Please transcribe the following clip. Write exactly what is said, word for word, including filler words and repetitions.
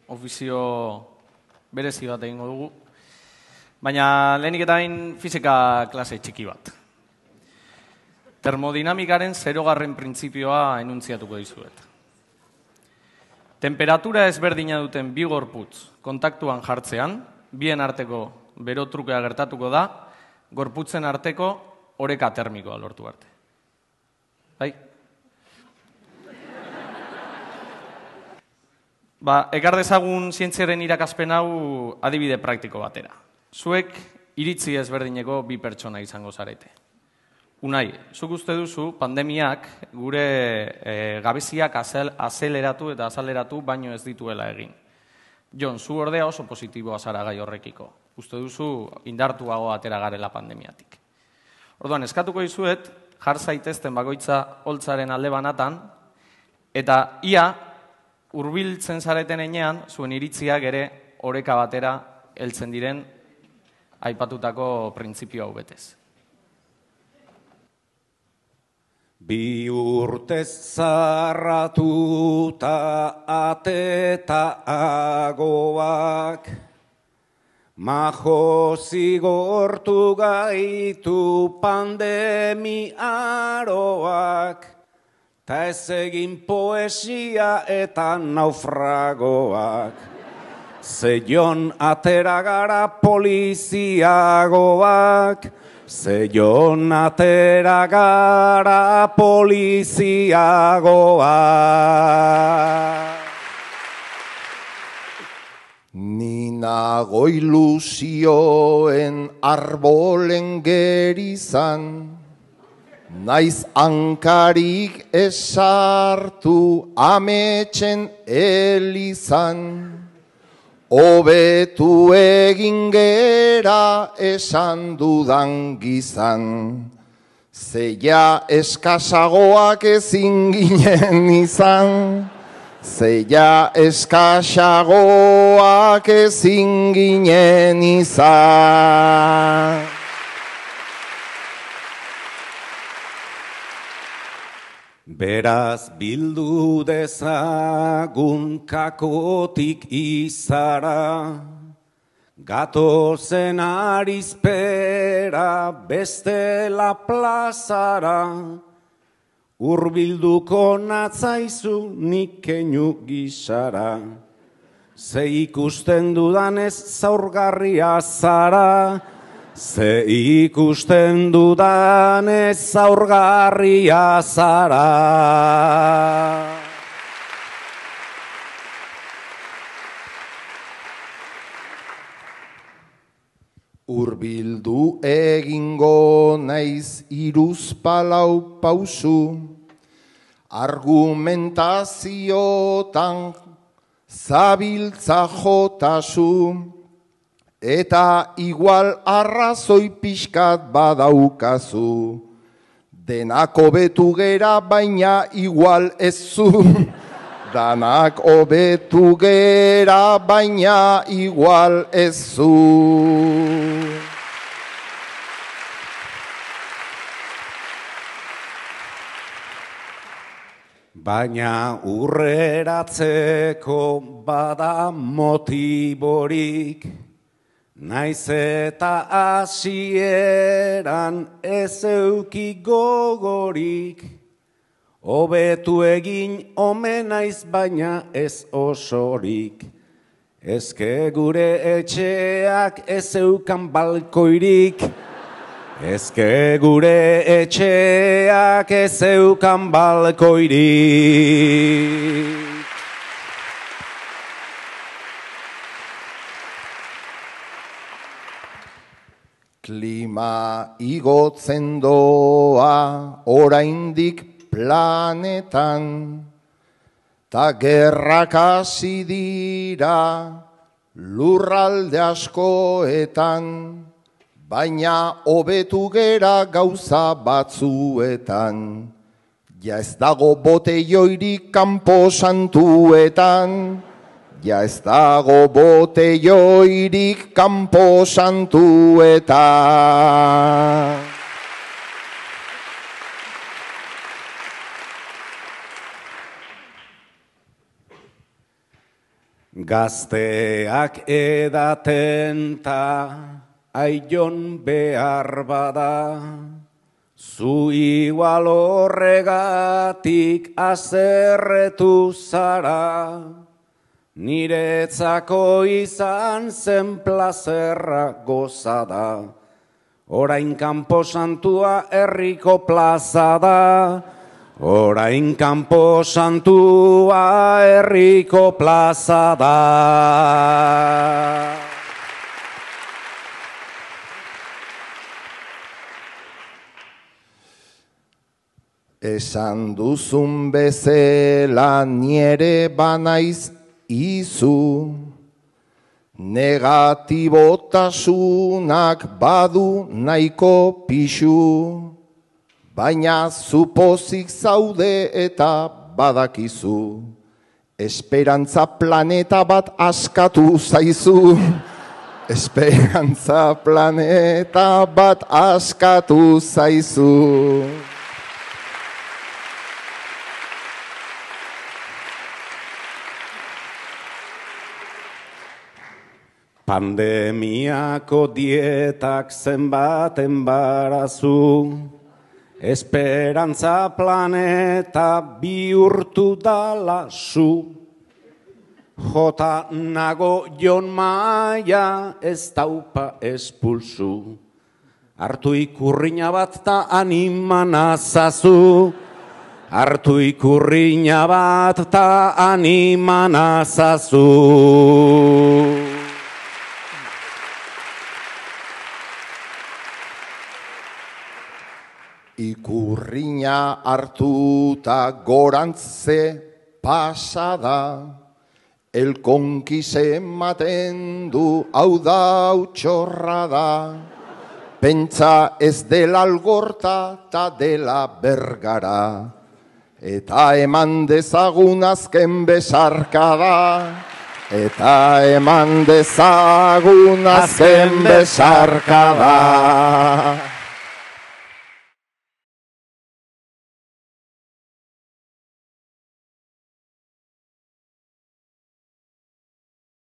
ofizio berezi bat egingo dugu, baina lehenik eta bain fizika klase txiki bat. Termodinamikaren zerogarren printzipioa enuntziatuko dizuet. Temperatura ezberdina duten bi gorputz kontaktuan jartzean, bien arteko berotrukea gertatuko da, gorputzen arteko oreka termikoa lortu arte. Bai? Ba, ekar dezagun zientziaren irakaspen hau adibide praktiko batera. Zuek iritzi ezberdineko bi pertsona izango zarete. Unai, zuk uste duzu pandemiak gure e, gabeziak azel, azeleratu eta azaleratu baino ez dituela egin. Jon, zu ordea oso positiboa zara gai horrekiko. Uste duzu indartuago atera garela pandemiatik. Orduan, eskatuko dizuet, jar zaitezten bakoitza holtzaren alde banatan, eta ia hurbiltzen zareten enean, zuen iritziak ere oreka batera heltzen diren aipatutako printzipio hau betez. Bi urtez zarratuta ateta agoak, majo zigortu gaitu pandemi aroak, ta ez egin poesia eta naufragoak. Zeion atera gara poliziagoak, zeion atera gara poliziagoak. Ni nago ilusioen arbolen gerizan, naiz hankarik esartu ametsen elizan. Hobetu egin gera esan dudan gizan, zeia eskasagoak ezin ginen izan, zeia eskasagoak ezin ginen izan. Beraz bildu dezagun kakotik izara, gatozen arizpera bestela plazara, hurbilduko natzaizu nik keinu gisara, ze ikusten dudanez zaurgarria zara, ze ikusten dudanez zaurgarria zara. Hurbildu egingo naiz hiruzpalau pausu, argumentaziotan zabiltza jotasu, eta igual arrazoi pixkat badaukazu. Denak hobetu gera baina igual ez zu. Danak hobetu gera baina igual ez zu. Baina urreratzeko bada motiborik, naiz eta hasieran ez euki gogorik, hobetu egin omen naiz baina ez osorik. Ezke gure etxeak ez eukan balkoirik, ezke gure etxeak ez eukan balkoirik. Klima igotzen doa oraindik planetan, ta gerrak hasi dira lurralde askoetan, baina hobetu gera gauza batzuetan. Ja ez dago boteioirik kanpo santuetan, ja ez dago boteioirik kanpo santuetan. Gazteak edaten ta aion behar bada, zu igual horregatik azerretu zara, niretzako izan zen plazerra gozada, orain kanpo santua herriko plaza da, orain kanpo santua herriko plaza da. Esan duzun bezela niere banaiz izu, negatibotasunak badu nahiko pixu, baina zupozik zaude eta badakizu, esperantza planeta bat askatu zaizu, esperantza planeta bat askatu zaizu. Pandemiako dietak zenbat enbarazu, esperantza planeta bihurtu dala zu. Jota nago Jon Maia ez daupa espulsu, hartu ikurriña bat ta animan azazu, hartu ikurriña bat ta animan azazu. Ikurriña hartuta gorantze pasada, elkonkis ematen du hau da utxorra da, pentsa ez dela algorta ta dela bergara, eta eman dezagun azken besarkada, eta eman dezagun azken besarkada.